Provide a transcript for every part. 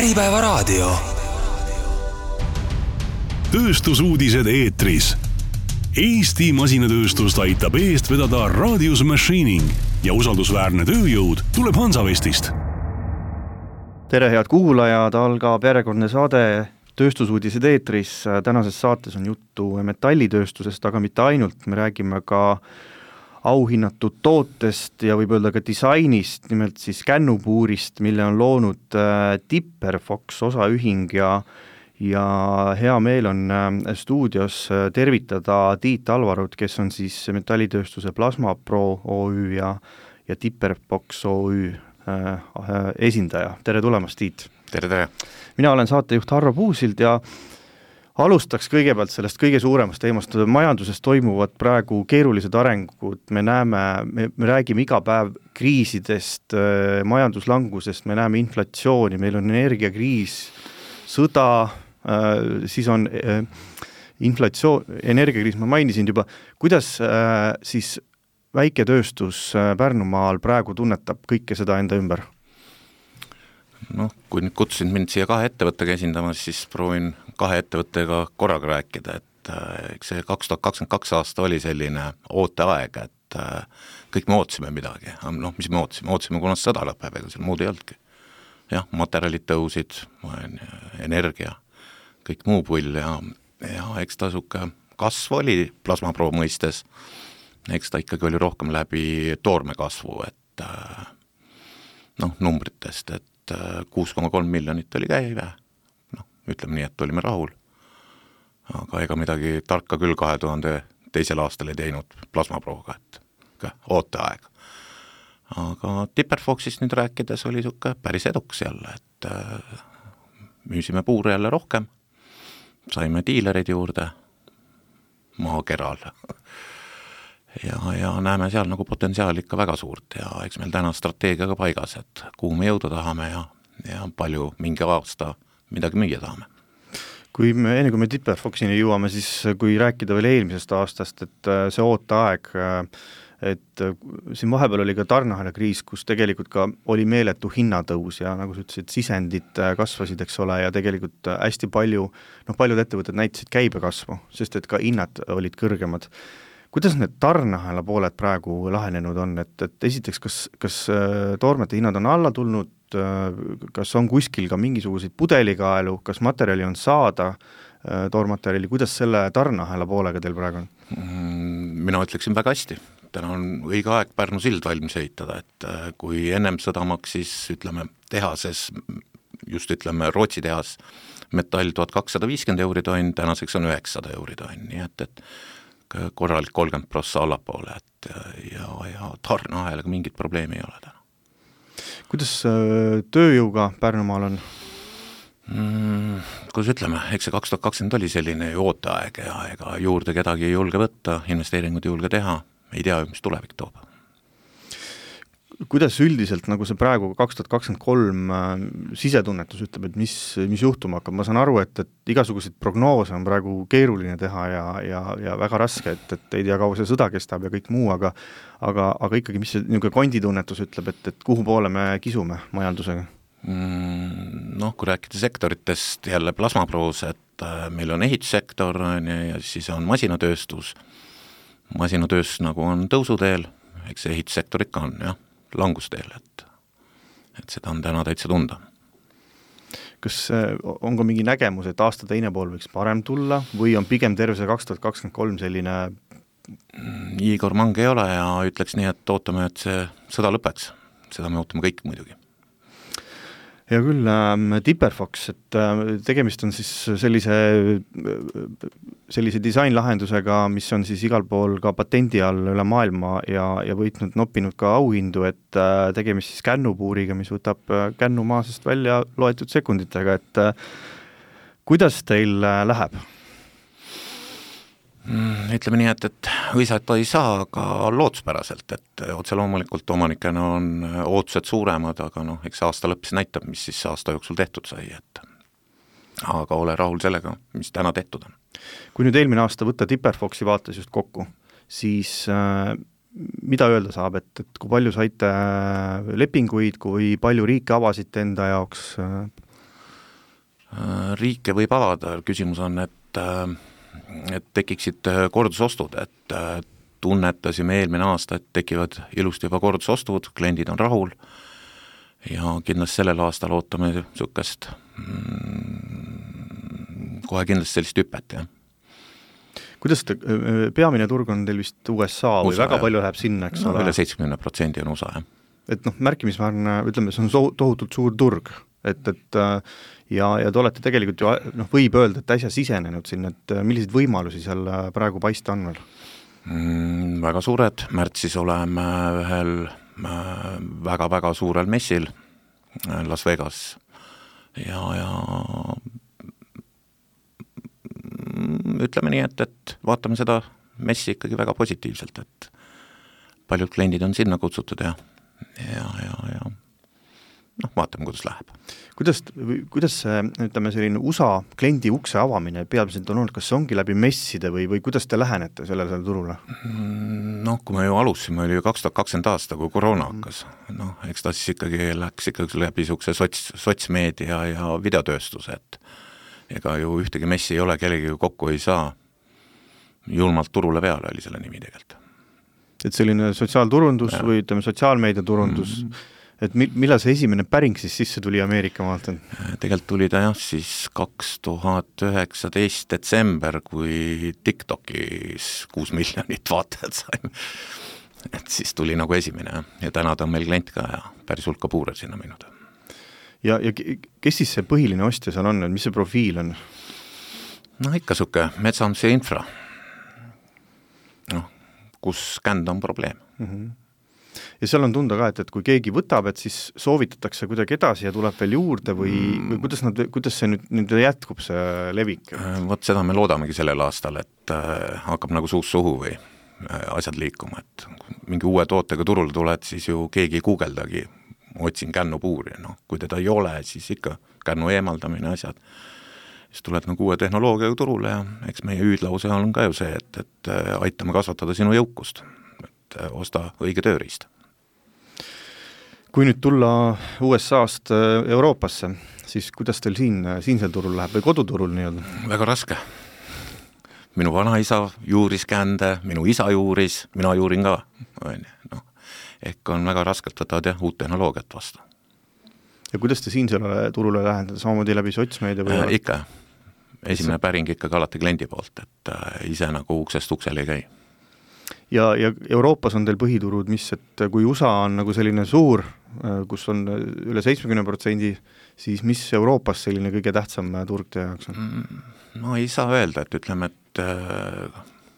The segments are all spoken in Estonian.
Äripäevaraadio. Tööstusuudised eetris. Eesti masinatööstust aitab eest vedada Radius Machining ja usaldusväärne tööjõud tuleb Hansavestist. Tere head kuulajad, algab järjekordne saade Tööstusuudised eetris. Tänases saates on juttu metallitööstusest, aga mitte ainult. Me räägime ka auhinnatud tootest ja võib öelda ka disainist, nimelt siis kännupuurist, mille on loonud Tipperfox osaühing ja hea meel on stuudios tervitada Tiit Alvarut, kes on siis metallitööstuse Plasma Pro OÜ ja Tipperfox OÜ esindaja. Tere tulemast, Tiit! Tere! Mina olen saatejuht Harro Puusild ja alustaks kõigepealt sellest kõige suuremast teemast. Majanduses toimuvad praegu keerulised arengud. Me räägime iga päev kriisidest, majanduslangusest, me näeme inflatsiooni, meil on energiakriis, sõda, siis on energiakriis, ma mainisin juba. Kuidas siis väiketööstus Pärnumaal praegu tunnetab kõike seda enda ümber? Kui nüüd kutsusid mind siia kahe ettevõttega esindamas, siis proovin kahe ettevõttega korraga rääkida, et see 2022 aasta oli selline ooteaeg, et kõik me ootasime midagi. Mis me ootasime? Ootasime, kunas sõda lõpeb, ega seal muud ei olnudki. Jah, materjalid tõusid, energia, kõik muu pull ja eks ta suke kasv oli Plasma Pro mõistes, eks ta ikkagi oli rohkem läbi toorme kasvu, et numbritest, et 6,3 miljonit oli käive, ütleme nii, et olime rahul, aga ega midagi tarka küll 2002. aastal ei teinud Plasma Proga, et ooteaeg. Aga Tipperfoxist nüüd rääkides oli suke päris eduks jälle, et müüsime puure jälle rohkem, saime diilereid juurde maakeral ja näeme seal nagu potentsiaali ikka väga suurt ja eks meil täna strateegiaga paigas, et kuhu me jõuda tahame ja palju mingi aasta midagi müüa tahame. Enne kui me Tipperfoxini jõuame, siis kui rääkida veel eelmisest aastast, et see ooteaeg, et siin vahepeal oli ka tarneahela kriis, kus tegelikult ka oli meeletu hinnatõus ja nagu sa ütlesid, sisendid kasvasid, eks ole, ja tegelikult hästi paljud ettevõtted näitasid käibekasvu, sest et ka hinnad olid kõrgemad. Kuidas need tarneahela pooled praegu lahenenud on, et esiteks, kas toormete hinnad on alla tulnud, kas on kuskil ka mingisuguseid pudelikaelu, kas materjali on saada, toormaterjali, kuidas selle tarneahela poolega teil praegu on? Mina ütleksin väga hästi. Täna on õige aeg Pärnu sild valmis ehitada, et kui ennem sõda maksis, tehases, Rootsi tehas, metall 1250 € tonn, tänaseks on 900 € tonn, nii et korralik 30% allapoole, et ja tarneahelaga mingit probleemi ei ole täna. Kuidas tööjõuga Pärnumaal on? Kuidas ütleme, eks see 2020 oli selline ooteaeg ja ega juurde kedagi ei julge võtta, investeeringud ei julge teha, ei tea, mis tulevik toob. Kuidas üldiselt, nagu see praegu 2023 sisetunnetus ütleb, et mis juhtuma hakkab? Ma saan aru, et igasuguseid prognoose on praegu keeruline teha ja väga raske, et ei tea, kaua see sõda kestab ja kõik muu, aga ikkagi, mis see konditunnetus ütleb, et kuhu poole me kisume majandusega? Kui rääkida sektoritest jälle Plasma Pros, et meil on ehitussektor ja siis on masinatööstus. Masinatööstus nagu on tõusuteel, eks see ehitussektor ikka on, jah, langusteel, et seda on täna täitsa tunda. Kas on ka mingi nägemus, et aasta teine pool võiks parem tulla või on pigem terve see 2023 selline? Igor Mang ei ole ja ütleks nii, et ootame, et see sõda lõpeks. Seda me ootame kõik muidugi. Ja küll, Tipperfox, et tegemist on siis sellise disainlahendusega, mis on siis igal pool ka patendi all üle maailma ja noppinud ka auhindu, et tegemist siis kännupuuriga, mis võtab kännu maasest välja loetud sekunditega, et kuidas teil läheb? Ütleme nii, et õisata ei saa, aga lootuspäraselt, et otse loomulikult omanikena on ootused suuremad, aga eks aasta lõppes näitab, mis siis aasta jooksul tehtud sai, aga ole rahul sellega, mis täna tehtud on. Kui nüüd eelmine aasta võtta Tipperfoxi vaates just kokku, siis mida öelda saab, et kui palju saite lepinguid, kui palju riike avasite enda jaoks? Riike võib avada, küsimus on, et tekiksid kordusostud, et tunnetasime eelmine aasta, et tekivad ilusti juba kordusostud, kliendid on rahul ja kindlasti sellel aastal ootame niisugust kohe kindlasti sellist hüpet, jah. Kuidas peamine turg on teil vist USA või USA, väga palju läheb sinna, eks ole? Üle 70% on USA, jah. Et märkimisväärne, ütleme, see on tohutult suur turg, et ja te olete tegelikult ju, võib öelda, et äsja sisenenud sinna, et milliseid võimalusi seal praegu paista on veel? Väga suured, märtsis oleme ühel väga-väga suurel messil Las Vegas ja ütleme nii, et vaatame seda messi ikkagi väga positiivselt, et paljud kliendid on sinna kutsutud ja vaatame, kuidas läheb. Kuidas see, ütleme, selline USA kliendi ukse avamine peamiselt on olnud, kas see ongi läbi messide või kuidas te lähenete sellele turule? Kui me ju alusime, oli ju 2020 aasta, kui koroona hakkas. Eks ta siis ikkagi läks läbi niisuguse sotsmeedia ja videotööstuse, et ega ju ühtegi messi ei ole, kellegi kokku ei saa. Julmalt turule peale oli selle nimi tegelikult. Et selline sotsiaalturundus või ütleme sotsiaalmeedia turundus, et millal see esimene päring siis sisse tuli Ameerika maalt? Tegelikult tuli ta siis 2019 detsember, kui TikTokis 6 miljonit vaatajat saime. Et siis tuli nagu esimene ja täna ta on meil klient ka ja päris hulka puure sinna minud. Ja kes siis see põhiline ostja seal on, mis see profiil on? Ikka suke metsanduse infra. Kus känd on probleem. Ja seal on tunda ka, et kui keegi võtab, et siis soovitatakse kuidagi edasi ja tuleb veel juurde või kuidas see nüüd jätkub, see levik? Vot seda me loodamegi sellel aastal, et hakkab nagu suus suhu või asjad liikuma, et mingi uue tootega turule tuled, siis ju keegi ei guugeldagi, otsin kännupuuri, kui teda ei ole, siis ikka kännu eemaldamine asjad. Siis tuled nagu uue tehnoloogiaga turule ja eks meie hüüdlause on ka ju see, et aitame kasvatada sinu jõukust, et osta õige tööriist. Kui nüüd tulla USA-st Euroopasse, siis kuidas teil siinsel turul läheb või koduturul nii-öelda? Väga raske. Minu vanaisa juuris kände, minu isa juuris, mina juurin ka. Ehk on väga raskelt võtavad uut tehnoloogiat vastu. Ja kuidas te siinsele turule lähendada, samamoodi läbi sotsmeedia või? Ikka. Esimene päring ikkagi alati kliendi poolt, et ise nagu uksest uksele ei käi. Ja Euroopas on teil põhiturud, et kui USA on nagu selline suur, kus on üle 70%, siis mis Euroopas selline kõige tähtsam turg teie jaoks on? Ei saa öelda, et ütleme, et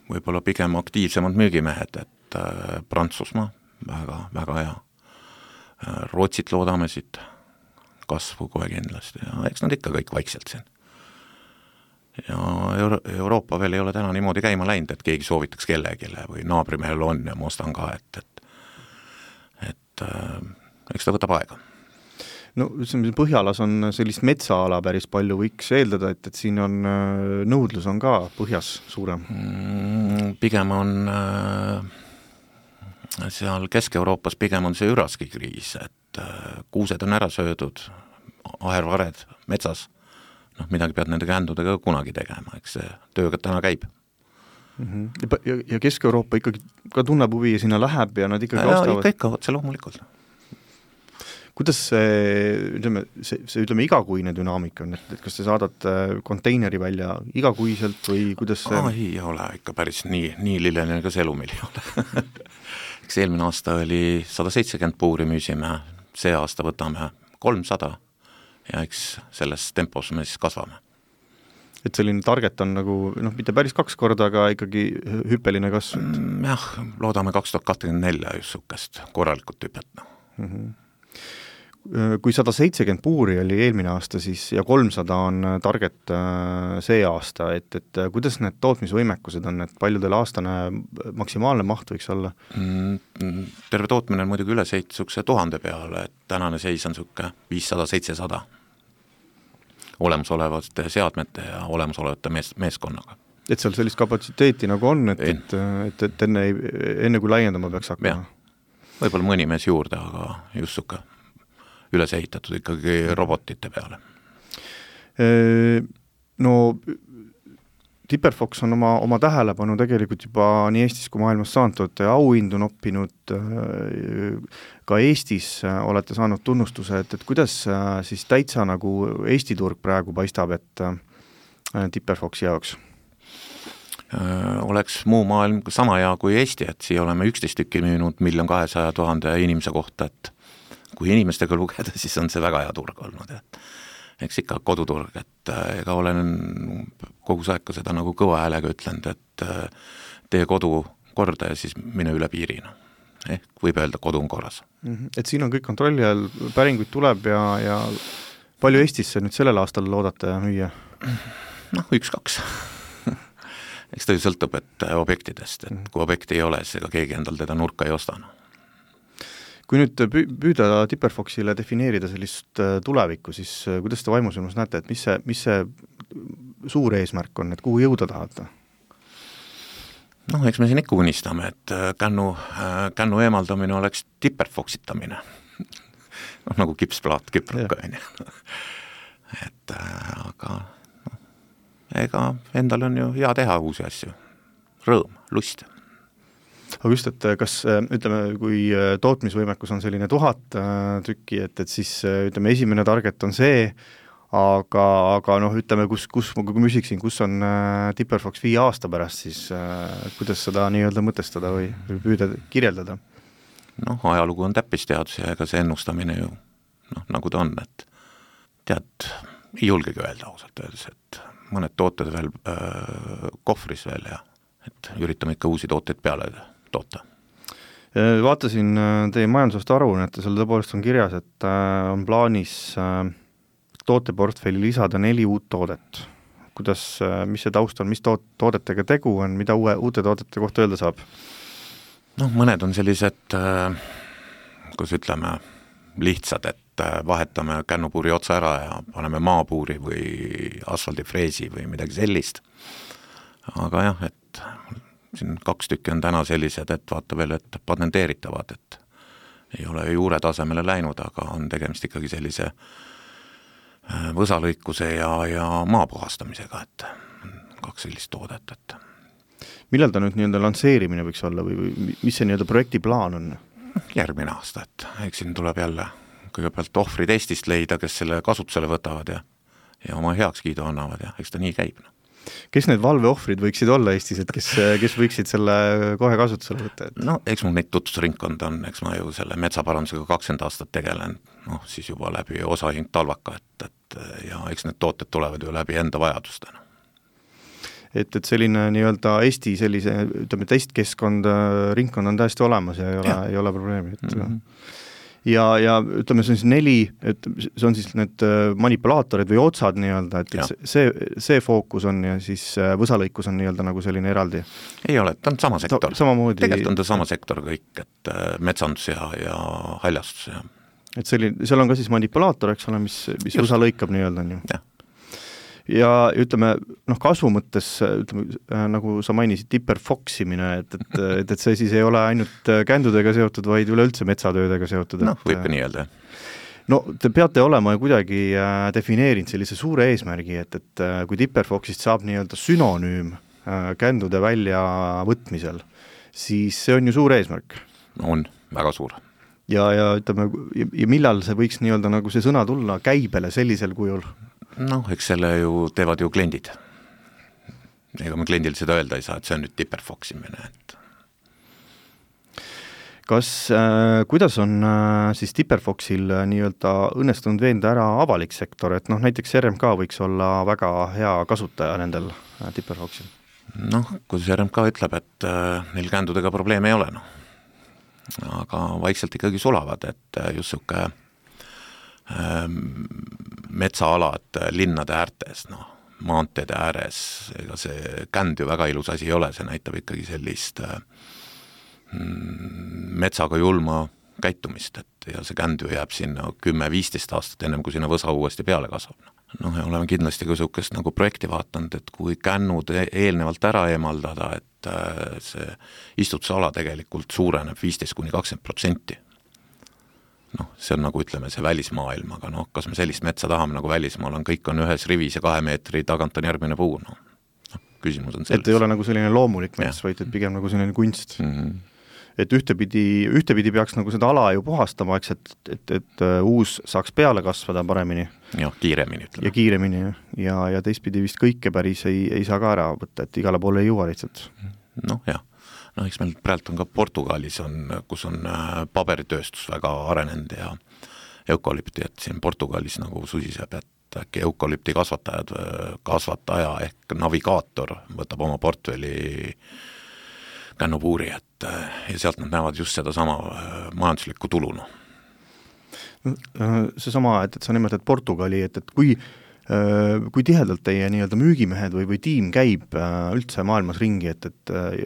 võib-olla pigem aktiivsemad müügimehed, et Prantsusmaa, väga, väga hea. Rootsit loodame siit kasvu kohe kindlasti ja eks nad ikka kõik vaikselt siin. Ja Euroopa veel ei ole täna niimoodi käima läinud, et keegi soovitaks kellegile või naabrimehel on ja ma ostan ka, et eks ta võtab aega. Põhjalas on sellist metsaala päris palju, võiks eeldada, et siin on nõudlus on ka põhjas suurem. Pigem on seal Kesk-Euroopas pigem on see üraskikriis, et kuused on ära söödud, ahervared metsas, midagi pead nende kändudega kunagi tegema, eks see tööga täna käib. Ja Kesk-Euroopa ikkagi ka tunneb huvi ja sinna läheb ja nad ikkagi ostavad? Ikka, otse loomulikult. Kuidas ütleme igakuine dünaamika on, et kas te saadate konteineri välja igakuiselt või kuidas see? Ei ole ikka päris nii lilleline, ka see elu meil ei ole. Eks eelmine aasta oli 170 puuri müüsime, see aasta võtame 300 ja eks selles tempos me siis kasvame. Et selline target on nagu, mitte päris 2 korda, aga ikkagi hüppeline kasv? Jah, loodame 2024 just sukest korralikult hüpet. Kui 170 puuri oli eelmine aasta siis ja 300 on target see aasta, et kuidas need tootmisvõimekused on, et palju teil aastane maksimaalne maht võiks olla? Terve tootmine on muidugi üle 1000 peale, et tänane seis on suke 500-700 olemasolevate seadmete ja olemasolevate meeskonnaga. Et seal sellist kapatsiteeti nagu on, et enne kui laiendama peaks hakkama? Võib-olla mõni mees juurde, aga just suke üles ehitatud ikkagi robotite peale. No Tipperfox on oma tähelepanu tegelikult juba nii Eestis kui maailmas saanud, auhindu noppinud, ka Eestis olete saanud tunnustuse, et kuidas siis täitsa nagu Eesti turg praegu paistab, et Tipperfoxi jaoks? Oleks muu maailm sama hea kui Eesti, et siia oleme 11 tükki müünud 1 200 000 inimese kohta, et kui inimestega lugeda, siis on see väga hea turg olnud, et eks ikka koduturg, et ega olen kogu aeg ka seda nagu kõva häälega ütlenud, et tee kodu korda ja siis mine üle piirina. Ehk võib öelda, kodu on korras. Et siin on kõik kontrolli all, päringuid tuleb ja palju Eestisse nüüd sellel aastal loodate müüa? Noh, 1-2. Eks ta ju sõltub objektidest, et kui objekti ei ole, siis ega keegi endal teda nurka ei ostana. Kui nüüd püüda Tipperfoxile defineerida sellist tulevikku, siis kuidas te vaimusilmas näete, et mis see suur eesmärk on, et kuhu jõuda tahate? Noh, eks me siin ikka unistame, et kännu eemaldamine oleks Tipperfoxitamine. Noh, nagu kipsplaat kiprukka. Et aga ega endal on ju hea teha uusi asju. Rõõm, lust. Aga just, et kas, ütleme, kui tootmisvõimekus on selline 1000 tükki, et siis, ütleme, esimene target on see, aga noh, ütleme, kui ma küsiksin, kus on Tipperfox 5 aasta pärast, siis kuidas seda nii-öelda mõtestada või püüda kirjeldada? Noh, ajalugu on täppisteadus ja ega see ennustamine ju, noh, nagu ta on, et tead, ei julgegi öelda ausalt öeldes, et mõned tooted veel kohvris veel ja et üritame ikka uusi tooteid peale toota. Vaatasin teie majandusaasta aruannet ja seal tõepoolest on kirjas, et on plaanis tooteportfelli lisada 4 uut toodet. Kuidas, mis see taust on, mis toodetega tegu on, mida uute toodete kohta öelda saab? Noh, mõned on sellised, kus ütleme, lihtsad, et vahetame kännupuuri otsa ära ja paneme maapuuri või asfaldifreesi või midagi sellist. Aga jah, et siin 2 tükki on täna sellised, et vaata veel, et patenteeritavad, et ei ole juure tasemele läinud, aga on tegemist ikkagi sellise võsalõikuse ja maapuhastamisega, et 2 sellist toodet. Et millal ta nüüd nii-öelda lansseerimine võiks olla või mis see nii-öelda projekti plaan on? Järgmine aasta, et eks siin tuleb jälle kõigepealt ohvrid Eestist leida, kes selle kasutusele võtavad ja oma heakskiidu annavad ja eks ta nii käib. Kes need valveohvrid võiksid olla Eestis, et kes võiksid selle kohe kasutusele võtta? No eks mul neid tutvusringkond on, eks ma ju selle metsaparandusega 20 aastat tegelen, noh siis juba läbi osahing talvaka, et ja eks need tooted tulevad ju läbi enda vajadustena. Et selline nii-öelda Eesti sellise, ütleme, testkeskkond, ringkond on täiesti olemas ja ei ole probleemi. Ja ütleme, see on siis 4, et see on siis need manipulaatorid või otsad nii-öelda, et see fookus on ja siis võsalõikus on nii-öelda nagu selline eraldi. Ei ole, ta on sama sektor. Tegelikult on ta sama sektor kõik, et metsandus ja haljastus. Ja. Et seal on ka siis manipulaator, eks ole, mis võsa lõikab nii-öelda on ju. Jah. Ja ütleme, noh, kasvu mõttes, ütleme, nagu sa mainisid, Tipperfoximine, et see siis ei ole ainult kändudega seotud, vaid üleüldse metsatöödega seotud. Noh, võib ka nii öelda. No, te peate olema kuidagi defineerinud sellise suure eesmärgi, et kui Tipperfoxist saab nii-öelda sünonüüm kändude väljavõtmisel, siis see on ju suur eesmärk. On, väga suur. Ja ütleme, ja millal see võiks nii-öelda nagu see sõna tulla käibele sellisel kujul? Noh, eks selle ju teevad ju kliendid. Ega me kliendil seda öelda ei saa, et see on nüüd Tipperfoximine. Kuidas on siis Tipperfoxil nii-öelda õnnestunud veenda ära avalik sektor, et noh, näiteks RMK võiks olla väga hea kasutaja nendel Tipperfoxil? Noh, kui RMK ütleb, et neil kändudega probleeme ei ole, noh. Aga vaikselt ikkagi sulavad, et just suke metsaalad linnade äärtes, noh, maanteede ääres, ega see känd ju väga ilus asi ei ole, see näitab ikkagi sellist metsaga julma käitumist, et ja see känd ju jääb sinna 10-15 aastat ennem, kui sinna võsa uuesti peale kasvab. Noh, ja oleme kindlasti ka sukest nagu projekti vaatanud, et kui kännud eelnevalt ära eemaldada, et see istutusala tegelikult suureneb 15-20%. see on nagu ütleme see välismaailm, aga kas me sellist metsa tahame nagu välismaal on, kõik on ühes rivis ja 2 meetri tagant on järgmine puu, küsimus on selles. Et ei ole nagu selline loomulik mets, vaid et pigem nagu selline kunst. Et ühtepidi peaks nagu seda ala ju puhastama, eks, et uus saaks peale kasvada paremini. Ja kiiremini ütleme. Ja kiiremini, ja teistpidi vist kõike päris ei saa ka ära võtta, et igale poole ei jõua lihtsalt. Eks meil praegu on ka Portugalis, kus on paberitööstus väga arenenud ja eukalüpti, et siin Portugalis nagu susiseb, et äkki eukalüpti kasvataja ehk navigaator võtab oma portfelli kännupuuri, ja sealt nad näevad just seda sama majanduslikku tulu. See sama, et sa nimetad Portugali, et kui tihedalt teie nii-öelda müügimehed või tiim käib üldse maailmas ringi, et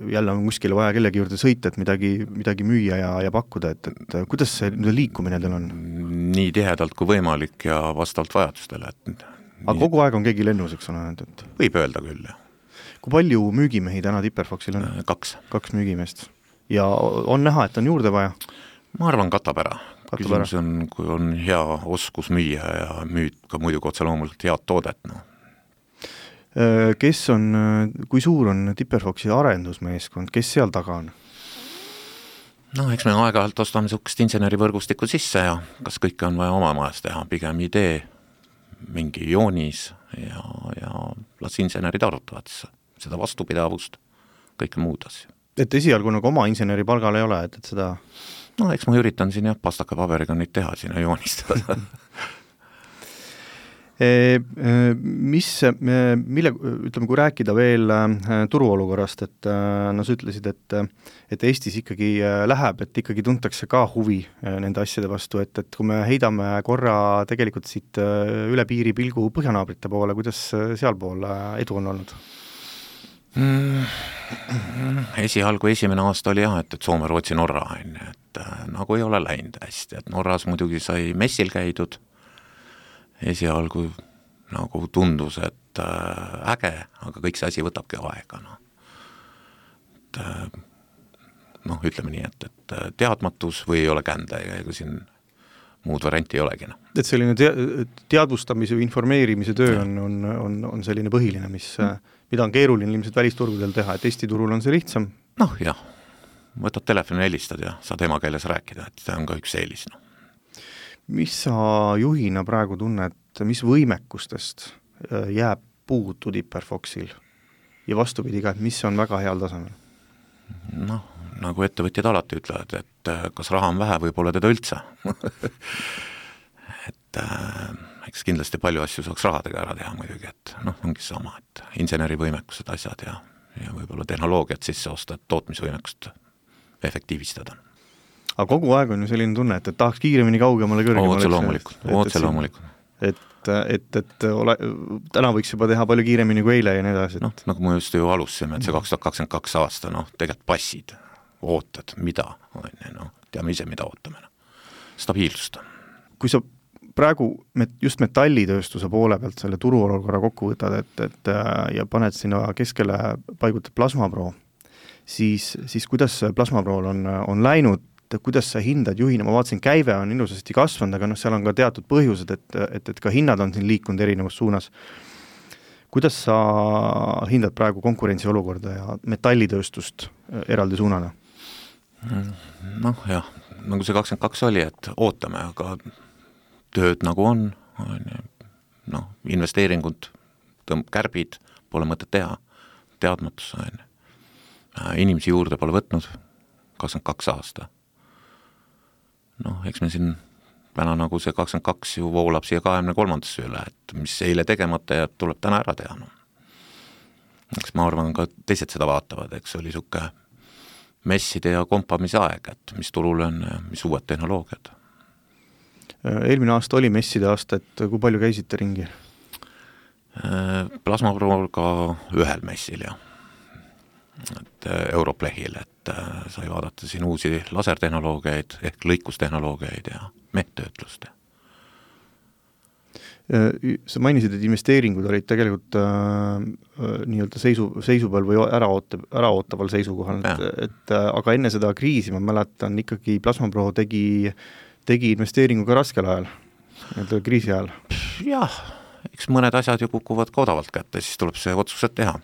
jälle on kuskile vaja kellegi juurde sõita, et midagi müüa ja pakkuda, et kuidas see liikumine teil on? Nii tihedalt kui võimalik ja vastavalt vajadustele. Aga kogu aeg on keegi lennus, eks ole? Võib öelda küll, jah. Kui palju müügimehi täna Tipperfoxil on? 2 müügimeest. Ja on näha, et on juurde vaja? Ma arvan, katab ära. Küsimus on, kui on hea oskus müüa ja müüd ka muidugi otse loomulikult head toodet. Kui suur on Tipperfoxi arendusmeeskond, kes seal taga on? Eks me aeg-ajalt ostame sukest insenerivõrgustikku sisse ja kas kõike on vaja oma majas teha, pigem idee, mingi joonis ja las insenerid arutavad seda vastupidavust, kõike muud asja. Et esialgu nagu oma inseneri palgal ei ole, et seda... eks ma üritan siin pastaka paberiga neid teha sinna joonistada. Ütleme, kui rääkida veel turuolukorrast, et sa ütlesid, et Eestis ikkagi läheb, et ikkagi tuntakse ka huvi nende asjade vastu, et kui me heidame korra tegelikult siit üle piiri pilgu põhjanaabrite poole, kuidas sealpool edu on olnud? Esialgu esimene aasta oli et Soome, Rootsi, Norra et nagu ei ole läinud hästi, et Norras muidugi sai messil käidud, esialgu nagu tundus, et äge, aga kõik see asi võtabki aega. Ütleme nii, et teadmatus või ei ole kände, ega siin muud varianti ei olegi. Et selline teadvustamise või informeerimise töö on selline põhiline, mida on keeruline ilmselt välisturgudel teha, et Eesti turul on see lihtsam? Jah, võtad telefoni helistad ja saad emakeeles rääkida, et see on ka üks eelis. Mis sa juhina praegu tunned, mis võimekustest jääb puudu Tipperfoxil ja vastupidi ka, et mis on väga heal tasemel? Nagu ettevõtjad alati ütlevad, et kas raha on vähe või pole teda üldse. Eks kindlasti palju asju saaks rahadega ära teha muidugi, et ongi sama, et insenerivõimekused asjad ja võib-olla tehnoloogiat sisse osta, et tootmisvõimekust efektiivistada. Aga kogu aeg on ju selline tunne, et tahaks kiiremini kaugemale kõrgemale. Otse loomulikult. Et täna võiks juba teha palju kiiremini kui eile ja nii edasi. Nagu me just ju alustasime, et see 2022 aasta, tegelikult passid, ootad, mida, teame ise, mida ootame. Stabiilsust. Kui sa praegu just metallitööstuse poole pealt selle turuolukorra kokku võtad, ja paned sinna keskele paigutad plasmapro, siis kuidas plasmaprool on läinud, kuidas sa hindad juhina, ma vaatasin, käive on ilusasti kasvanud, aga seal on ka teatud põhjused, et ka hinnad on siin liikunud erinevas suunas. Kuidas sa hindad praegu konkurentsiolukorda ja metallitööstust eraldi suunana? Jah, nagu see 22 oli, et ootame, aga tööd nagu on, investeeringud, kärbid, pole mõtet teha, teadmatus, inimesi juurde pole võtnud 22 aasta. Eks me siin täna nagu see 22 ju voolab siia 23. üle, et mis eile tegemata jääb, tuleb täna ära teha. Eks ma arvan, ka teised seda vaatavad, eks oli suke messide ja kompamise aeg, et mis turul on ja mis uued tehnoloogiad. Eelmine aasta oli messide aasta, et kui palju käisite ringi? Plasmaprool ka ühel messil ja Europlehil, et sai vaadata siin uusi lasertehnoloogiaid ehk lõikustehnoloogiaid ja mehttöötlust. Sa mainisid, et investeeringud olid tegelikult nii-öelda seisupeal või äraootaval seisukohal, aga enne seda kriisi ma mäletan ikkagi Plasmapro tegi tegi investeeringu ka raskel ajal, kriisi ajal? Jah, eks mõned asjad ju kukuvad ka odavalt kätte, siis tuleb see otsused teha.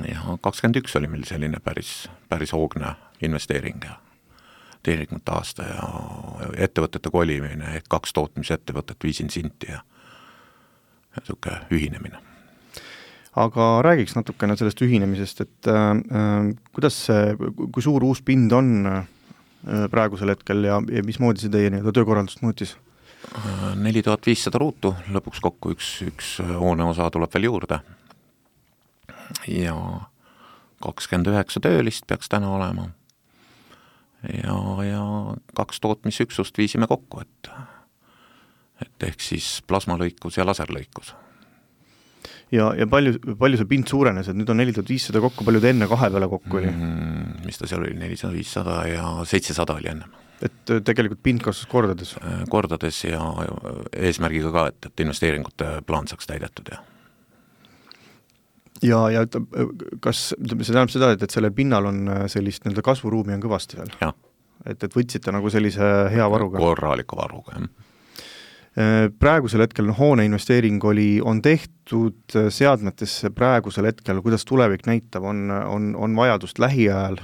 Ja 21 oli meil selline päris hoogne investeering ja tehnikute aasta ja ettevõtete kolimine, 2 tootmisettevõtet viisin sinti ja selline ühinemine. Aga räägiks natukene sellest ühinemisest, et kuidas see, kui suur uus pind on praegusel hetkel ja mismoodi see teie töökorraldust muutis? 4500 ruutu, lõpuks kokku üks hooneosa tuleb veel juurde ja 29 töölist peaks täna olema ja 2 tootmisüksust viisime kokku, et ehk siis plasmalõikus ja laserlõikus. Ja palju see pind suurenes, et nüüd on 4500 kokku, palju te enne 2 peale kokku oli? Mis ta seal oli, 400-500 ja 700 oli ennem. Et tegelikult pind kasvas kordades? Kordades ja eesmärgiga ka, et investeeringute plaan saaks täidetud. Ja kas see tähendab seda, et sellel pinnal on sellist kasvuruumi on kõvasti veel? Ja. Et võtsite nagu sellise hea varuga? Korraliku varuga, jah. Praegusel hetkel hoone investeering on tehtud seadmetesse praegusel hetkel, kuidas tulevik näitab, on vajadust lähiajal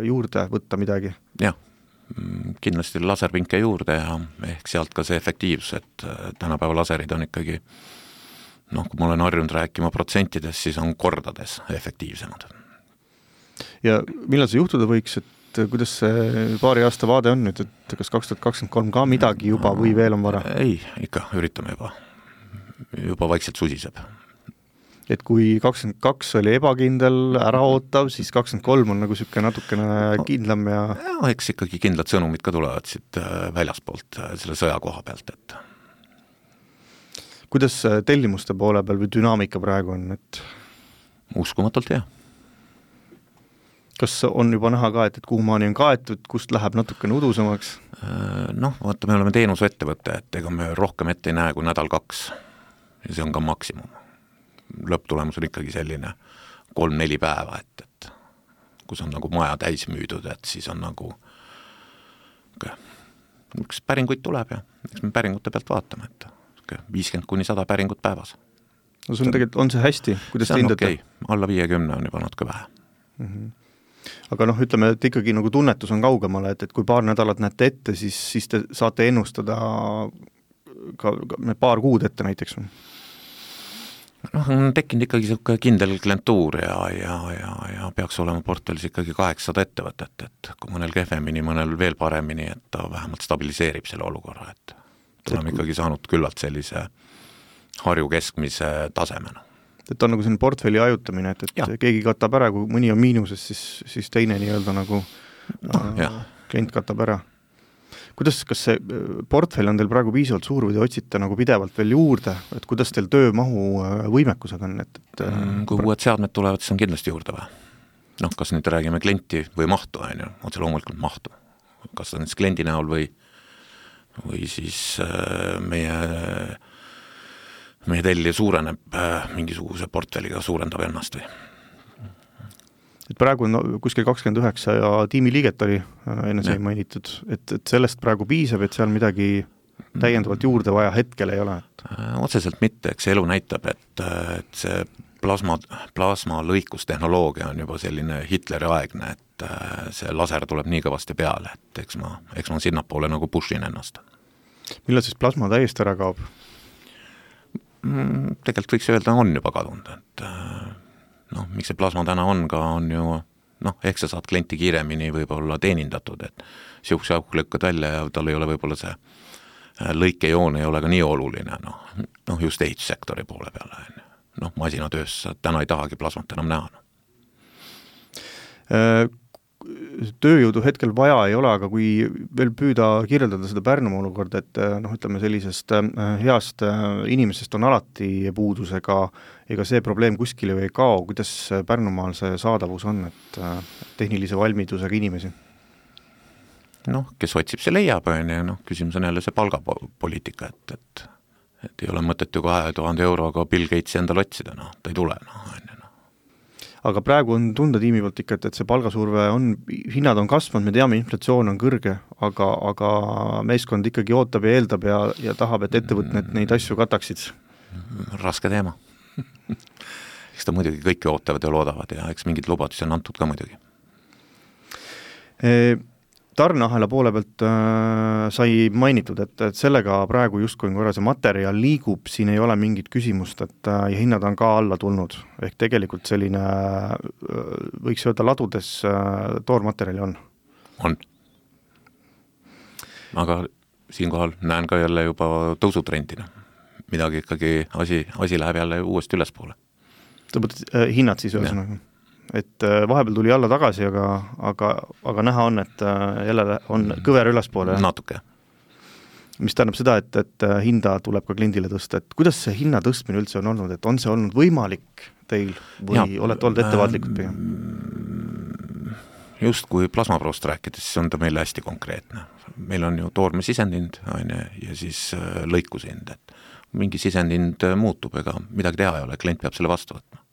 juurde võtta midagi? Jah, kindlasti laserpinke juurde ja ehk sealt ka see efektiivsus, et tänapäeva laserid on ikkagi, kui ma olen harjunud rääkima protsentides, siis on kordades efektiivsemad. Ja millal see juhtuda võiks, et kuidas see paari aasta vaade on nüüd, et kas 2023 ka midagi juba või veel on vara? Ei, ikka üritame juba vaikselt susiseb. Et kui 22 oli ebakindel, äraootav, siis 23 on nagu selline natukene kindlam ja... eks ikkagi kindlad sõnumid ka tulevad siit väljaspoolt selle sõja koha pealt, et... Kuidas tellimuste poole peal või dünaamika praegu on, et... Uskumatult, jah. Kas on juba näha ka, et kuhu maani on kaetud, kust läheb natukene udusemaks? Vaata, me oleme teenusettevõtte, et ega me rohkem ette ei näe kui 1-2 ja see on ka maksimum. Lõpptulemus on ikkagi selline 3-4 päeva, et kus on nagu maja täis müüdud, et siis on nagu üks päringuid tuleb ja eks me päringute pealt vaatame, et 50-100 päringut päevas. No see on tegelikult, on see hästi? Kuidas see on okei, alla 50 on juba natuke vähe. Aga ütleme, et ikkagi nagu tunnetus on kaugemale, et kui paar nädalat näete ette, siis te saate ennustada ka paar kuud ette näiteks? On tekkinud ikkagi selline kindel klientuur ja peaks olema portfellis ikkagi 800 ettevõtet, et kui mõnel kehvemini, mõnel veel paremini, et ta vähemalt stabiliseerib selle olukorra, et oleme ikkagi saanud küllalt sellise Harju keskmise tasemena. Et on nagu selline portfelli ajutamine, et keegi katab ära, kui mõni on miinuses, siis teine nii-öelda nagu klient katab ära. Kas see portfell on teil praegu piisavalt suur või te otsite nagu pidevalt veel juurde, et kuidas teil töömahu võimekusega on? Kui uued seadmed tulevad, siis on kindlasti juurde või? Kas nüüd räägime klienti või mahtu, otse loomulikult mahtu. Kas ta on siis kliendi näol või siis meie tellija suureneb mingisuguse portfelliga, suurendab ennast või? Et praegu on kuskil 29 ja tiimiliiget oli enne sai mainitud, et sellest praegu piisab, et seal midagi täiendavalt juurde vaja hetkel ei ole? Otseselt mitte, eks elu näitab, et see plasma lõikustehnoloogia on juba selline Hitleri aegne, et see laser tuleb nii kõvasti peale, et eks ma sinnapoole nagu pushin ennast. Millal siis plasma täiesti ära kaob? Tegelikult võiks öelda, on juba kadunud, et miks see plasma täna on ka, on ju, ehk sa saad klienti kiiremini võib-olla teenindatud, et siukse auk lükkad välja ja tal ei ole võib-olla see lõikejoon ei ole ka nii oluline, just ehitussektori poole peale, masinatöös täna ei tahagi plasmat enam näha. Tööjõudu hetkel vaja ei ole, aga kui veel püüda kirjeldada seda Pärnumaa olukorda, et ütleme sellisest heast inimesest on alati puudusega, ega see probleem kuskile ei kao, kuidas Pärnumaal see saadavus on, et tehnilise valmidusega inimesi? Kes otsib, see leiab, küsimus on jälle see palgapoliitika, et ei ole mõtet ju 2000 euroga Bill Gatesi endal otsida, ta ei tule. aga praegu on tunda tiimi poolt ikka, et see palgasurve on, hinnad on kasvanud, me teame, inflatsioon on kõrge, aga meeskond ikkagi ootab ja eeldab ja tahab, et ettevõtted neid asju kataksid. Raske teema. Eks ta muidugi kõiki ootavad ja loodavad ja eks mingid lubadusi on antud ka muidugi. Tarneahela poole pealt sai mainitud, et sellega praegu justkui korra see materjal liigub, siin ei ole mingit küsimust, et ja hinnad on ka alla tulnud, ehk tegelikult selline, võiks öelda ladudes toormaterjali on. On. Aga siinkohal näen ka jälle juba tõusutrendina. Midagi ikkagi asi läheb jälle uuesti ülespoole. Sa mõtled hinnad siis ühesõnaga? Et vahepeal tuli alla tagasi, aga näha on, et jälle on kõver ülespoole. Natuke. Mis tähendab seda, et hinda tuleb ka kliendile tõsta. Et kuidas see hinna tõstmine üldse on olnud? Et on see olnud võimalik teil või olete olnud ettevaatlikud pigem? Just kui plasmaproost rääkides, siis on ta meile hästi konkreetne. Meil on ju toorme sisendhind ja siis lõikushind. Et mingi sisendhind muutub, ega midagi teha ei ole, klient peab selle vastu võtma.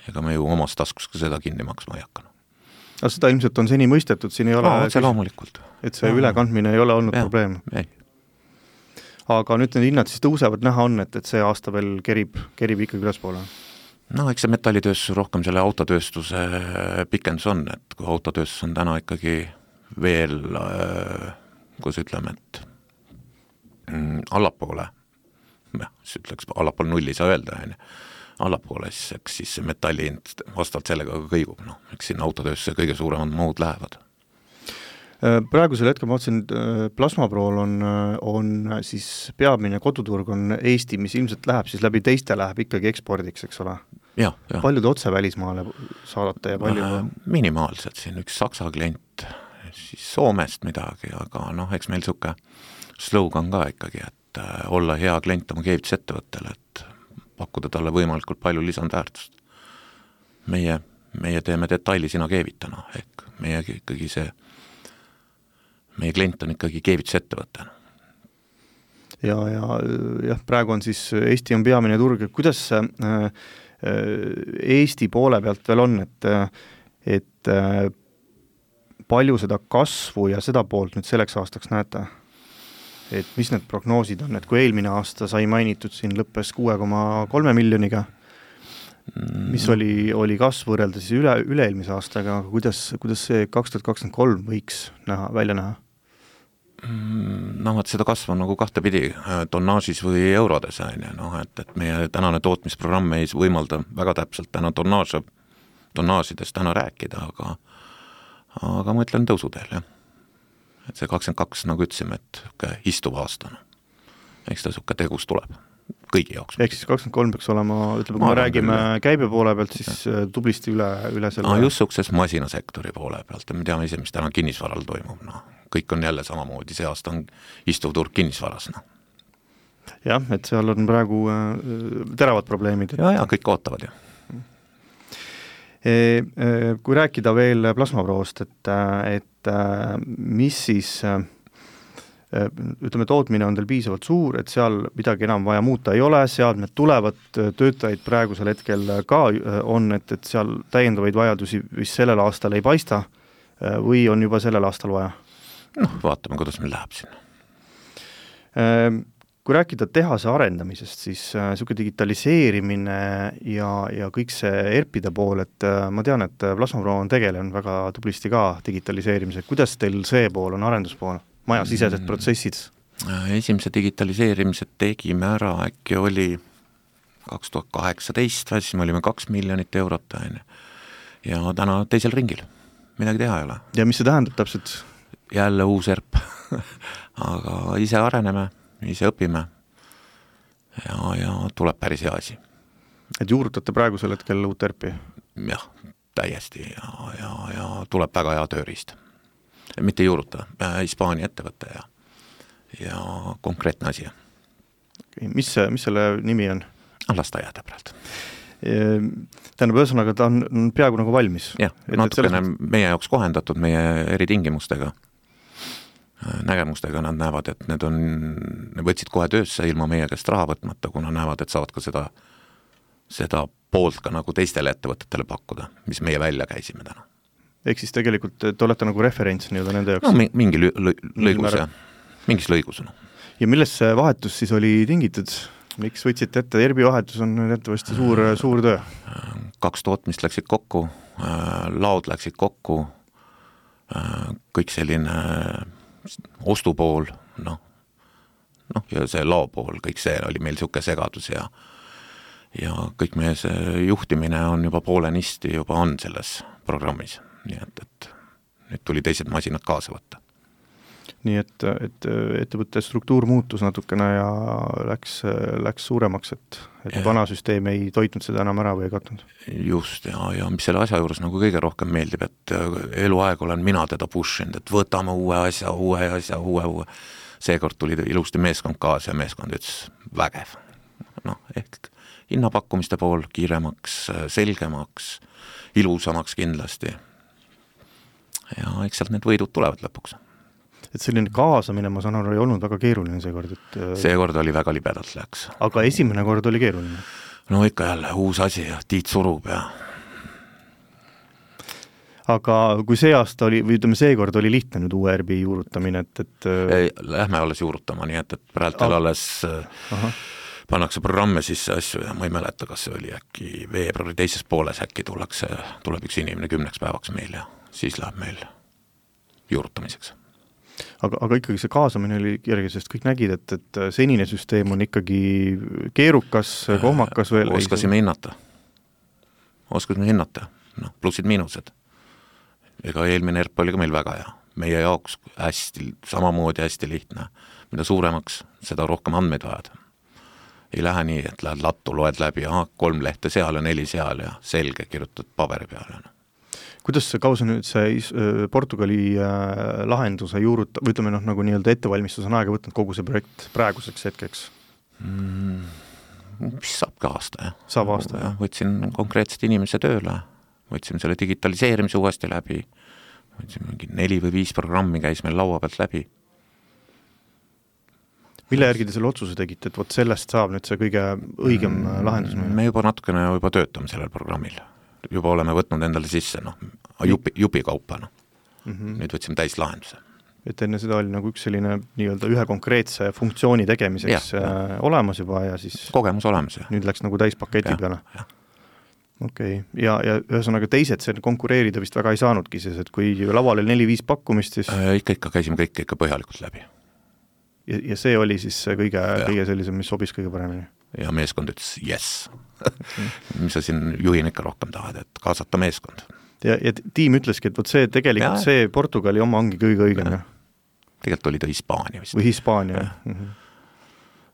Ega me ju omast taskus ka seda kinni maksma ei hakanud. Aga seda ilmselt on seni mõistetud, siin ei ole see loomulikult. Et see ülekandmine ei ole olnud probleem. Ei. Aga nüüd need hinnad siis tõusevad, näha on, et see aasta veel kerib ikkagi ülespoole. No eks see metallitööstus rohkem selle autotööstuse pikendus on, et kui autotööstus on täna ikkagi veel, kus ütleme, et allapoole, siis ütleks allapool nulli saa öelda, allapoole, siis see metallihind vastavalt sellega kõigub. Eks siin autotööstuse kõige suuremad mahud lähevad. Praegusel hetkel ma otsin, plasmaprool on siis peamine koduturg on Eesti, mis ilmselt läheb siis läbi teiste läheb ikkagi ekspordiks, eks ole? Ja. Palju te otse välismaale saadate ja palju? Minimaalselt siin üks Saksa klient, siis Soomest midagi, aga eks meil suke slogan ka ikkagi, et olla hea klient oma keevitusettevõttele, et pakkuda talle võimalikult palju lisandväärtust. Meie teeme detaili sina keevitana, ehk meie klient on ikkagi keevitusettevõttena. Ja praegu on siis Eesti on peamine turg, kuidas Eesti poole pealt veel on, et palju seda kasvu ja seda poolt nüüd selleks aastaks näete? Et mis need prognoosid on, et kui eelmine aasta sai mainitud, siin lõppes 6,3 miljoniga, mis oli kasv võrreldes üle-eelmise aastaga, kuidas see 2023 võiks välja näha? Et seda kasv on nagu kahtepidi tonnaažis või eurodes, et meie tänane tootmisprogramm ei võimalda väga täpselt täna tonnaažidest täna rääkida, aga ma ütlen tõusuteel, jah. Et see 22, nagu ütlesime, et istuv aastana. Eks ta suke tegus tuleb kõigi jaoks. Ehk siis 23 peaks olema, ütleme, kui me räägime käibe poole pealt, siis tublisti üle selle. Just sukses masinasektori poole pealt ja me teame ise, mis täna kinnisvaral toimub. Kõik on jälle samamoodi, see aasta on istuv turg kinnisvaras. Jah, et seal on praegu teravad probleemid. Ja kõik ootavad ju. Kui rääkida veel plasmaproost, et mis siis, ütleme, tootmine on teil piisavalt suur, et seal midagi enam vaja muuta ei ole, seadmed tulevad, töötajaid praegusel hetkel ka on, et seal täiendavaid vajadusi vist sellel aastal ei paista või on juba sellel aastal vaja? Vaatame, kuidas meil läheb sinna. Kui rääkida tehase arendamisest, siis niisugune digitaliseerimine ja kõik see ERP-ide pool, et ma tean, et Plasmapro on tegelenud väga tublisti ka digitaliseerimisega. Kuidas teil see pool on arenduspool? Majasisesed protsessid? Esimese digitaliseerimise tegime ära, äkki oli 2018, siis me olime 2 miljonit eurot ja täna teisel ringil. Midagi teha ei ole. Ja mis see tähendab täpselt? Jälle uus ERP, aga ise areneme, ise õpime ja tuleb päris hea asi. Et juurutate praegusel hetkel uut ERP-i? Jah, täiesti ja tuleb väga hea tööriist. Mitte juuruta, Hispaania ettevõtte ja konkreetne asi. Mis selle nimi on? Lasteaia täpselt. Tähendab, ühesõnaga ta on peaaegu nagu valmis. Jah, natukene meie jaoks kohendatud meie eritingimustega, nägemustega nad näevad, et need võtsid kohe töösse ilma meie käest raha võtmata, kuna näevad, et saavad ka seda seda poolt ka nagu teistele ettevõtetele pakkuda, mis meie välja käisime täna. Ehk siis tegelikult te olete nagu referents nii-öelda nende jaoks? No mingi lõigus, jah. Mingis lõigus. Ja milles see vahetus siis oli tingitud? Miks võtsite ette? ERP-i vahetus on jättavasti suur töö. 2 tootmist läksid kokku, laod läksid kokku, kõik selline ostupool, ja see lao pool, kõik see oli meil siuke segadus ja kõik meie see juhtimine on juba poolenisti juba on selles programmis. Nii et nüüd tuli teised masinad kaasa võtta. Nii et ettevõtte struktuur muutus natukene ja läks suuremaks, et vana süsteem ei toitnud seda enam ära või ei katnud. Just, ja mis selle asja juures nagu kõige rohkem meeldib, et eluaeg olen mina teda pushinud, et võtame uue asja. Seekord tuli ilusti meeskond kaasa ja meeskond ütles vägev. Ehk hinnapakkumiste pool kiiremaks, selgemaks, ilusamaks kindlasti. Ja eks sealt need võidud tulevad lõpuks. Et selline kaasamine, ma saan aru, ei olnud väga keeruline seekord. Seekord oli väga libedalt läks. Aga esimene kord oli keeruline? No ikka jälle uus asi ja Tiit surub ja... Aga kui see aasta oli, või ütleme seekord oli lihtne nüüd uue ERP juurutamine, et... Lähme alles juurutama, nii et praegu alles pannakse programme sisse asju ja ma ei mäleta, kas see oli äkki veebruari teises pooles äkki tuleb üks inimene 10 päevaks meil ja siis läheb meil juurutamiseks. Aga ikkagi see kaasamine oli kerge, sest kõik nägid, et senine süsteem on ikkagi keerukas, kohmakas veel. Oskasime hinnata. Plussid-miinused. Ega eelmine ERP oli ka meil väga hea. Meie jaoks samamoodi hästi lihtne. Mida suuremaks, seda rohkem andmeid vajad. Ei lähe nii, et lähed lattu, loed läbi, 3 lehte seal ja 4 seal ja selge kirjutad paberi peale. Kuidas see kausa nüüd see Portugali lahenduse juuruta, või ütleme nagu nii-öelda ettevalmistus on aega võtnud kogu see projekt praeguseks hetkeks? Mis saab ka aasta, jah. Saab aasta, jah. Võtsin konkreetselt inimese tööle, võtsime selle digitaliseerimise uuesti läbi, võtsime mingi 4 või 5 programmi käis meil laua pealt läbi. Mille järgi te selle otsuse tegite, et võt sellest saab nüüd see kõige õigem lahendus? Me juba natukene töötame sellel programmil. Juba oleme võtnud endale sisse, jupi kaupa. Nüüd võtsime täis lahenduse. Et enne seda oli nagu üks selline nii-öelda ühe konkreetse funktsiooni tegemiseks olemas juba ja siis... Kogemus olemas, jah. Nüüd läks nagu täispaketi peale. Okei. Ja ühesõnaga teised see konkureerida vist väga ei saanudki, sest et kui laval oli 4-5 pakkumist, siis... Ikka käisime kõik ikka põhjalikult läbi. Ja see oli siis kõige sellisem, mis sobis kõige paremini? Ja meeskond ütles yes. Mis sa siin juhin ikka rohkem tahad, et kaasata meeskond. Ja tiim ütleski, et see tegelikult see Portugali oma ongi kõige õigem. Tegelikult oli ta Hispaania vist. Või Hispaania,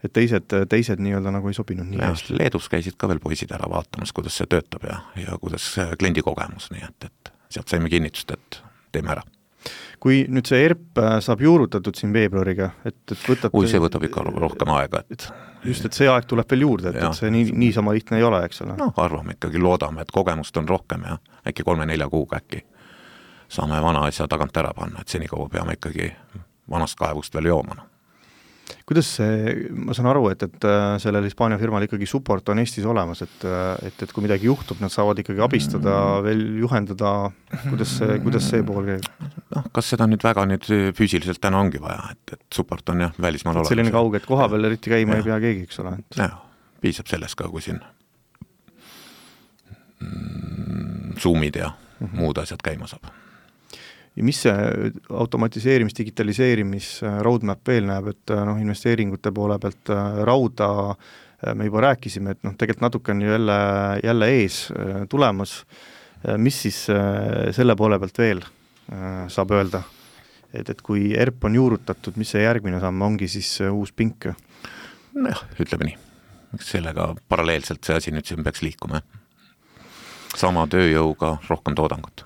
et teised nii-öelda nagu ei sobinud nii hästi. Leedus käisid ka veel poisid ära vaatamas, kuidas see töötab ja kuidas kliendi kogemus, nii et sealt saime kinnitust, et teeme ära. Kui nüüd see ERP saab juurutatud siin veebruariga, et võtate... see võtab ikka rohkem aega, et... Just, et see aeg tuleb veel juurde, et see niisama lihtne ei ole, eks ole? Arvame ikkagi, loodame, et kogemust on rohkem ja äkki 3-4 kuuga äkki saame vana asja tagant ära panna, et senikaua peame ikkagi vanast kaevust veel jooma. Kuidas see, ma saan aru, et sellel Hispaania firmal ikkagi support on Eestis olemas, et kui midagi juhtub, nad saavad ikkagi abistada, veel juhendada, kuidas see pool käib? Kas seda nüüd väga füüsiliselt täna ongi vaja, et support on välismaal olemas. Selline kauge, et koha peal eriti käima ei pea keegi, eks ole? Piisab sellest ka, kui siin Zoomid ja muud asjad käima saab. Ja mis see automatiseerimis, digitaliseerimis roadmap veel näeb, et investeeringute poole pealt rauda me juba rääkisime, et tegelikult natuke on jälle ees tulemas. Mis siis selle poole pealt veel saab öelda? Et kui ERP on juurutatud, mis see järgmine samm ongi siis uus pink? Ütleme nii. Sellega paralleelselt see asi nüüd siin peaks liikuma. Sama tööjõuga rohkem toodangut.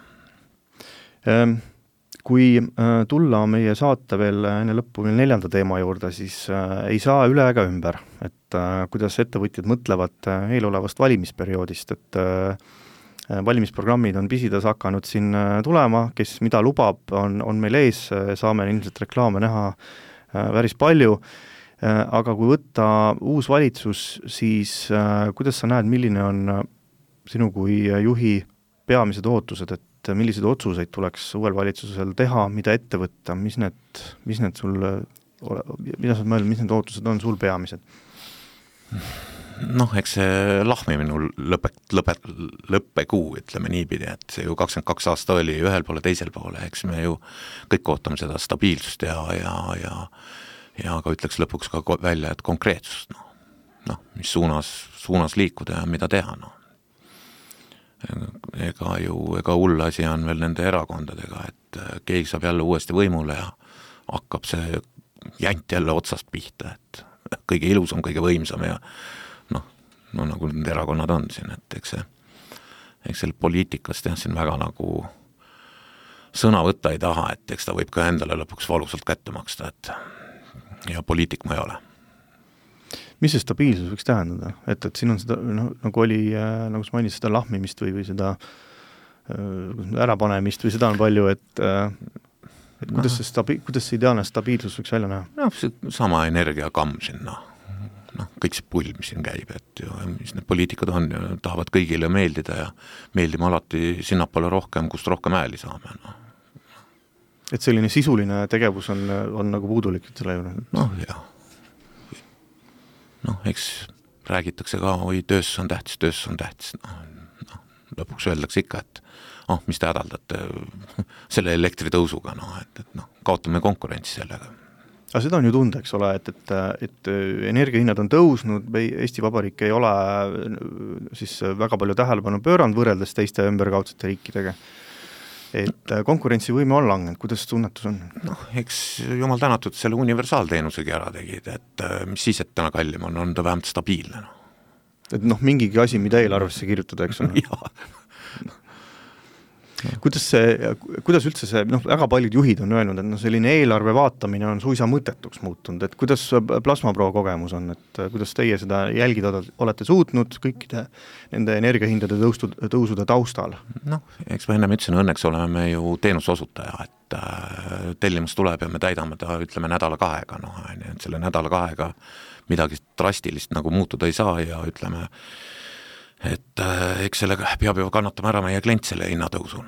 Kui tulla meie saate veel enne lõppu 4. teema juurde, siis ei saa üle ega ümber, et kuidas ettevõtjad mõtlevad eelolevast valimisperioodist, et valimisprogrammid on pisides hakanud siin tulema, kes mida lubab, on meil ees, saame ilmselt reklaame näha päris palju. Aga kui võtta uus valitsus, siis kuidas sa näed, milline on sinu kui juhi peamised ootused, et milliseid otsuseid tuleks uuel valitsusel teha, mida ette võtta, mis need sul, mida sa mõelnud, mis need ootused on sul peamised? Noh, eks see lahmimine lõppekuu, ütleme niipidi, et see ju 22 aasta oli ühel poole, teisel poole, eks me ju kõik ootame seda stabiilsust ja ka ütleks lõpuks ka välja, et konkreetsust, mis suunas liikuda ja mida teha, Ega hull asi on veel nende erakondadega, et keegi saab jälle uuesti võimule ja hakkab see jänt jälle otsast pihta, et kõige ilusam, kõige võimsam ja nagu need erakonnad on siin, et eks selle poliitikast siin väga nagu sõna võtta ei taha, et eks ta võib ka endale lõpuks valusalt kätte maksta, et ja poliitik ma ei ole. Mis see stabiilsus võiks tähendada? Et siin on seda, nagu oli, nagu sa mainid, seda lahmimist või seda ärapanemist või seda on palju, et kuidas see ideaalne stabiilsus võiks välja näha? See sama energiakamm sinna. Kõik see pull, mis siin käib, et mis need poliitikud on, tahavad kõigile meeldida ja meeldima alati sinnapoole rohkem, kust rohkem ääli saame. Et selline sisuline tegevus on nagu puudulik selle juurde? Jah. Eks räägitakse ka, töös on tähtis. Lõpuks öeldakse ikka, et mis te hädaldate selle elektritõusuga, et kaotame konkurentsi sellega. Aga seda on ju tunda, eks ole, et energiahinnad on tõusnud, Eesti Vabariik ei ole siis väga palju tähelepanu pööranud võrreldes teiste ümberkaudsete riikidega. Et konkurentsivõime on langenud, kuidas tunnetus on? Eks jumal tänatud selle universaalteenusegi ära tegid, et mis siis, et täna kallim on ta vähemalt stabiilne. Et mingigi asi, mida eelarvesse kirjutada, eks on? Jaa. Kuidas üldse see, väga paljud juhid on öelnud, et selline eelarve vaatamine on suisa mõttetuks muutunud, et kuidas Plasmapro kogemus on, et kuidas teie seda jälgida olete suutnud kõikide nende energiahindade tõusude taustal? Eks ma ennem ütlesin, õnneks oleme me ju teenusosutaja, et tellimus tuleb ja me täidame ta, ütleme, nädala kahega, et selle nädala kahega midagi drastilist nagu muutuda ei saa ja ütleme, et eks sellega peab ju kannatama ära meie klient selle hinnatõusun.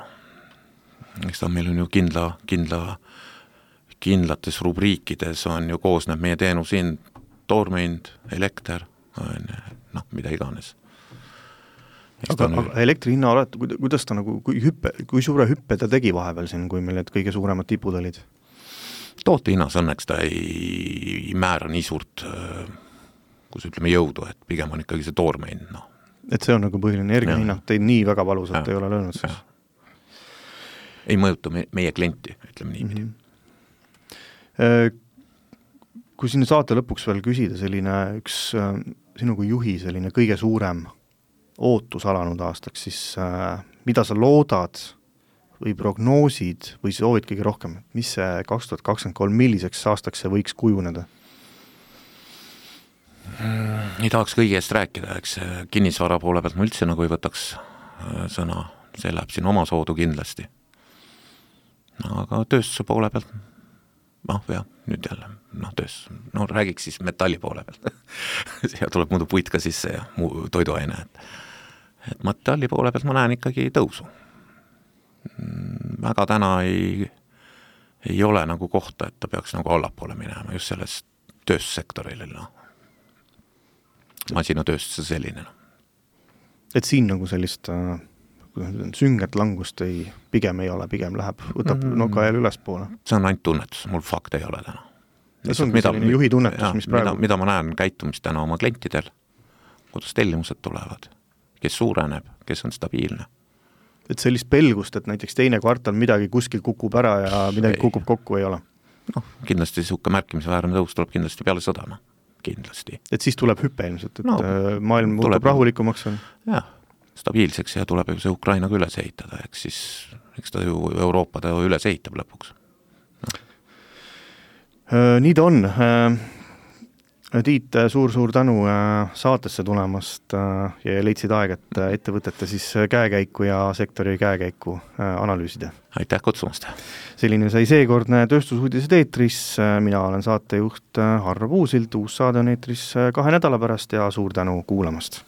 Eks ta meil on ju kindlates rubriikides on ju koosneb meie teenushind, toormehind, elekter, mida iganes. Aga elektri hinna olete, kuidas ta nagu, kui suure hüppe ta tegi vahepeal siin, kui meil need kõige suuremad tipud olid? Toote hinnas õnneks ta ei määra nii suurt, kus ütleme jõudu, et pigem on ikkagi see toormehind, Et see on nagu põhiline energiahinnad, teid nii väga valusalt ei ole löönud siis? Ei mõjuta meie klienti, ütleme niipidi. Kui sinna saate lõpuks veel küsida selline üks sinu kui juhi selline kõige suurem ootus alanud aastaks, siis mida sa loodad või prognoosid või soovid kõige rohkem, mis see 2023, milliseks aastaks see võiks kujuneda? Ei tahaks kõigi eest rääkida, eks kinnisvara poole pealt ma üldse nagu ei võtaks sõna, see läheb siin oma soodu kindlasti. Aga tööstuse poole pealt, nüüd jälle, räägiks siis metalli poole pealt. Ja tuleb muidu puit ka sisse ja toiduaine. Et metalli poole pealt ma näen ikkagi tõusu. Väga täna ei ole nagu kohta, et ta peaks nagu allapoole minema just sellest tööstussektoril, masinatööstuse selline. Et siin nagu sellist sünget langust pigem ei ole, pigem võtab nokajal üles poole. See on ainult tunnetus, mul fakt ei ole täna. See ongi selline juhi tunnetus, mis praegu... Mida ma näen käitumist täna oma klientidel, kuidas tellimused tulevad, kes suureneb, kes on stabiilne. Et sellist pelgust, et näiteks teine kvartal midagi kuskil kukub ära ja midagi kukub kokku ei ole? Kindlasti suhke märkimisväärne tõus tuleb kindlasti peale sõda. Kindlasti. Et siis tuleb hüppe ilmselt, et maailm muutub rahulikumaks on? Jah, stabiilseks ja tuleb ju see Ukrainaga üles ehitada, eks ta ju Euroopa ta üles ehitab lõpuks. Nii ta on. Tiit, suur tänu saatesse tulemast ja leidsid aeg, et ettevõtete siis käekäiku ja sektori käekäiku analüüsida. Aitäh kutsumast! Selline sai seekordne Tööstusuudised eetris, mina olen saatejuht Harro Puusild, uus saade on eetris 2 nädala pärast ja suur tänu kuulamast!